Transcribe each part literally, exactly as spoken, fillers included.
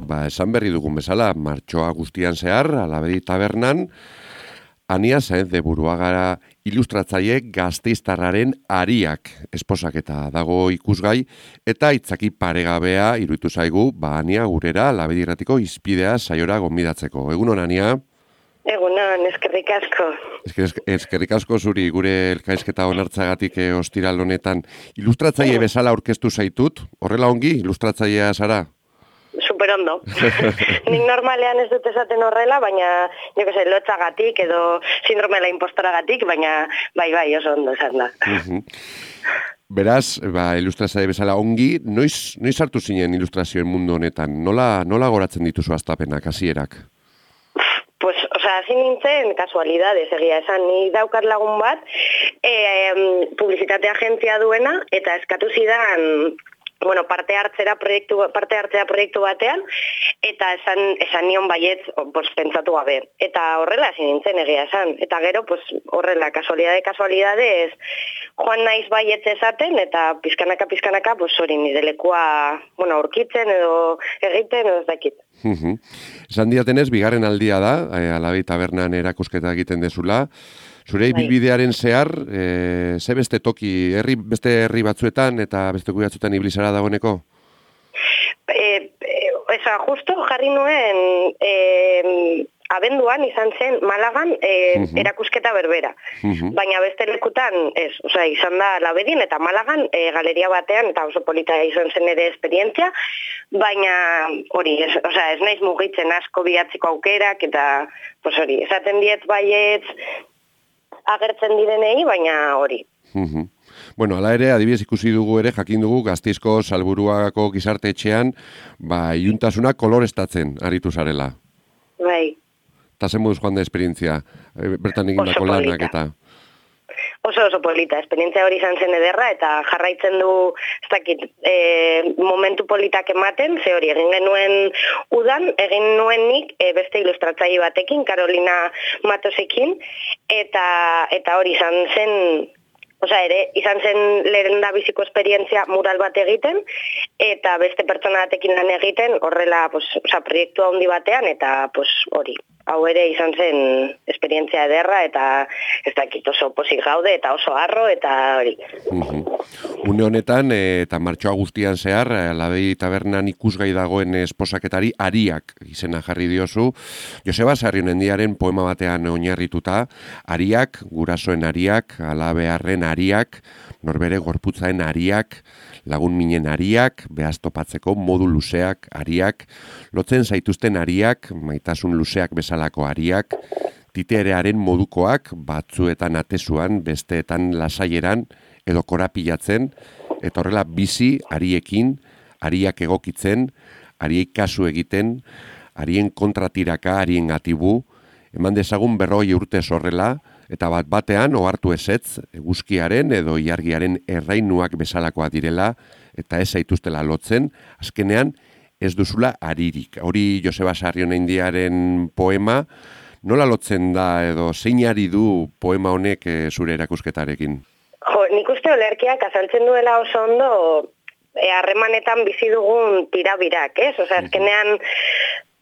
ba, esan berri dugun bezala, martxoa guztian zehar, Alabedi tabernan, Ania Saenz de Buruagara ilustratzaile Gasteiztarraren Ariak esposaketa dago ikusgai, eta itzaki paregabea iruditu zaigu, ba, Ania gurera Alabedi irratiko izpidea saiora gonbidatzeko. Egunon, Ania? Egunon, eskerrik asko. Eskerrik asko zuri gure elkarrizketa onartzagatik e, ostiral honetan. Ilustratzaile bezala aurkeztu zaitut, horrela ongi, ilustratzailea zara? Super ondo. Nik normalean ez dut esaten horrela, baina, jo que se, lotzagatik edo sindromela impostoragatik, baina bai, bai, oso ondo esan da. Beraz, ba, ilustratzaile bezala ongi, noiz, noiz hartu zinen ilustrazioen mundu honetan? Nola, nola goratzen dituzu hastapenak, hasierak? Pues, o sea, hasi nintzen kasualidades, egia esan, ni daukat lagun bat, e, publizitate agentzia duena, eta eskatu zidan, bueno, parte hartzera proiektu, parte hartzera proiektu batean, eta esan, esan nion baietz, pues, pentsatu gabe. Eta horrela hasi nintzen egia esan. Eta gero, pues, horrela, kasualidade, kasualidades, joan naiz baietz esaten, eta pizkanaka, pizkanaka, pues, hori nire lekua, bueno, aurkitzen edo egiten, edo ez dakit. Esan diatenez, bigarren aldia da, e, Alabedi tabernan erakusketa egiten dezula. Zure ibilbidearen zehar, e, ze beste toki, herri, beste herri batzuetan eta beste batzuetan ibilizara dagoeneko? E, e, eza, justo jarri nuen e, abenduan izan zen Malagan e, uh-huh. erakusketa berbera. Uh-huh. Baina beste lekutan, ez, oza, izan da Alabedin eta Malagan e, galeria batean, eta oso polita izan zen ere esperientzia, baina hori, ez, oza, ez naiz mugitzen asko bihatziko aukerak, eta pues hori, esaten diet baietz agertzen direnei, baina hori. Uh-huh. Bueno, ala ere, adibidez ikusi dugu ere, jakin dugu, Gasteizko Salburuako gizarte etxean, ba, iluntasuna koloreztatzen aritu zarela. Bai. Eta zen moduz joan da esperientzia, bertan egindako lanak eta... Oso oso polita, esperientzia hori izan zen ederra, eta jarraitzen du, ez dakit, e, momentu politak ematen, ze hori egin genuen udan, egin nuen nik e, beste ilustratzaile batekin, Carolina Matosekin, eta, eta hori izan zen... Osa ere, izan zen lehen da biziko esperientzia mural bat egiten, eta beste pertsona batekin lan egiten, horrela, pues, osa, proiektu handi batean, eta pues, hori, hau ere izan zen esperientzia ederra, eta ez dakit oso pozik gaude, eta oso harro, eta hori. Uh-huh. Une honetan, e, eta martxoa guztian zehar, Alabedi tabernan ikusgai dagoen esposaketari Ariak izena jarri diozu. Joseba Sarrionendiaren poema batean oinarrituta, Ariak, gurasoen Ariak, alabearren Ariak, norbere gorputzaen Ariak, lagun minen Ariak, behaz topatzeko modu luzeak Ariak, lotzen zaituzten Ariak, maitasun luzeak bezalako Ariak, titerearen modukoak, batzuetan atezuan, besteetan lasaieran, edo korapilatzen, eta horrela bizi Ariekin, Ariak egokitzen, Ariek kasu egiten, Arien kontratiraka, Arien gatibu, eman dezagun berroi urte horrela, eta bat batean ohartu ezetz eguzkiaren edo ilargiaren errainuak bezalakoa direla eta ez zaituztela lotzen, azkenean ez duzula aririk. Hori Joseba Sarrionendiaren poema, nola lotzen da edo zein ari du poema honek e, zure erakusketarekin? Jo, nik uste olerkiak azaltzen duela oso ondo harremanetan e, bizi dugun tirabirak, ez? Osa, azkenean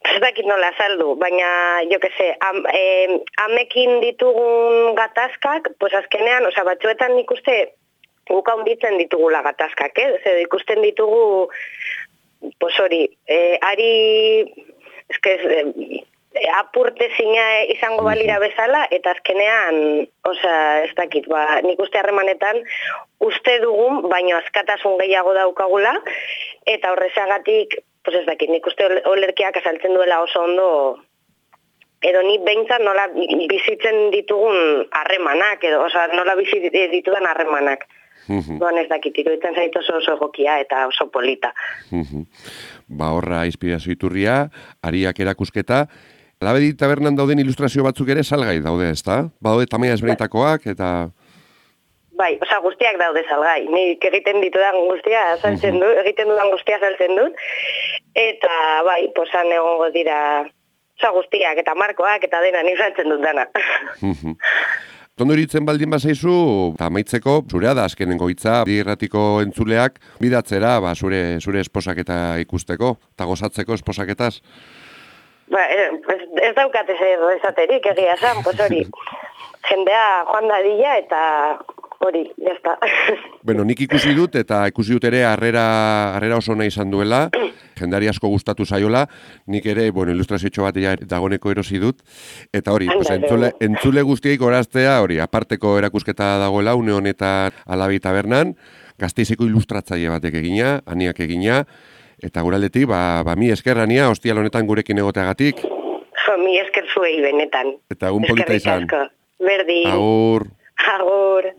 ez dakit nola saldu, baina, jo que se, am, eh, amekin ditugun gatazkak, pues azkenean, oza, batzuetan nik uste guk handitzen ditugula gatazkak, eh? Zer, ikusten ditugu, pues hori, eh, ari, eske, eh, apurte zina izango balira bezala, eta azkenean, oza, ez dakit, ba, nik uste harremanetan uste dugun, baina askatasun gehiago daukagula, eta horrezagatik, pues ez dakit, nik uste olerkiak azaltzen duela oso ondo, edo ni behintzat nola bizitzen ditugun harremanak, edo oza, nola bizi ditudan harremanak. Uh-huh. Doan ez dakit, iruditzen zait oso oso egokia eta oso polita. Uh-huh. Ba horra inspirazio iturria, Ariak erakusketa, Alabedi tabernan dauden ilustrazio batzuk ere salgai daude, ezta? Badaude tamaina ezberdinetakoak eta... Bai, oza, guztiak daude salgai. Nik egiten ditudan guztia saltzen dut, egiten dudan guztia saltzen dut. Eta, bai, posan egongo dira, oza, guztiak eta markoak eta dena nik saltzen dut dana. Ondo iritzen baldin bazaizu, eta amaitzeko, zurea da azkenengo hitza, bi irratiko entzuleak, bidatzera, ba, zure, zure esposaketa ikusteko, eta gozatzeko esposaketaz. Ba, eh, pues ez daukat esaterik, egia esan, pues hori, jendea joan dadila eta hori, jazta. Bueno, nik ikusi dut, eta ikusi dut ere harrera, harrera oso nahi izan duela, jendari asko gustatu zaiola, nik ere, bueno, ilustrazio bat ja dagoneko erosi dut, eta hori, pues, entzule, entzule guztiek oraztea, hori, aparteko erakusketa dagoela, une honetan Alabi Tabernan, Gasteizeko ilustratzaile batek egina, aniak egina, eta guraldetik, ba, ba mi esker, ania, ostial honetan gurekin egoteagatik. Jo, mi esker zuei benetan. Eta egun polita izan. Berdin. Agur. Agur.